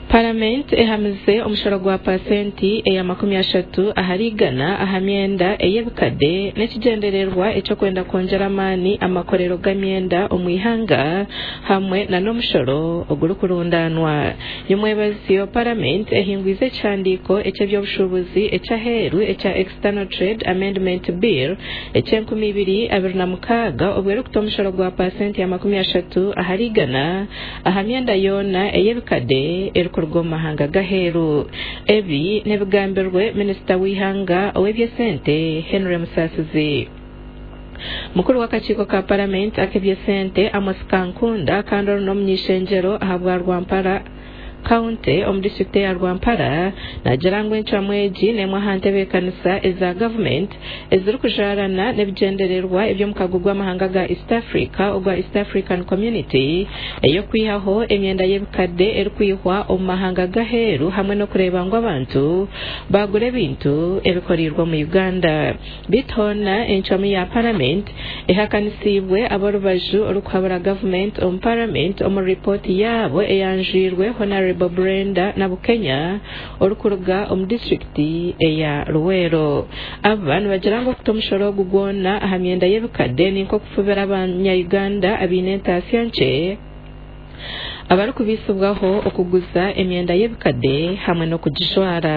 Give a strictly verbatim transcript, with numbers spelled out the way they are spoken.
Paramenti ehamize omushoro gwa pasenti eya makumi ashatu ahari igana aha myenda ey'ebikade n'ekigyendererwa eky'okwenda kwongyera amaani amakorero g'emyenda omu ihanga hamwe n'omushoro ogurikurundanwa. Nyomwebazyo Paramenti ehingwize ekihandiiko eky'eby'obushuubuzi eky'aheeru ekya External Trade Amendment Bill eky'enkumi ibiri abiri na mukaaga obwo erikuta omushoro gwa pasenti ya makumi ashatu ahari igana aha myenda yoona ey'ebikade erikuruga omu mahanga g'aheeru. Ebi n'ebigambirwe minisita w'eihanga ow'eby'esente Henry Musasizi. Mukuru w'akakiiko ka paramenti ak'eby'esente Amos Kankunda kandi ori n'omuny'ishengyero ahabwa Rwampara County omu disitulikiti eya Rwampara naagira ngu encwamu egi n'emwe aha ntebeekanisa eza gavumenti ezirikujaarana n'ebigyendererwa eby'omukago gw'amahanga ga East Africa ogwa East African Community ey'okwihaho emyenda y'ebikade erikwihwa omu mahanga g'aheeru hamwe n'okureeba ngu abantu baagura ebintu ebikoreirwe omu Uganda. Beitu hoona encwamu ya paramenti ehakanisiibwe ab'orubaju orikuhabura gavumenti omu paramenti omu ripooti yaabo eyanjwirwe Honorable Brenda Nabukenya orikuruga omu disitulikiti eya Luweero. Aba nibagira ngu okuta omushoro ogu gwona aha myenda y'ebikade ni nk'okufubira abanya-Uganda abaine entaasya nkye abarikubaisibwaho okuguza emyenda y'ebikade hamwe n'okugijwara.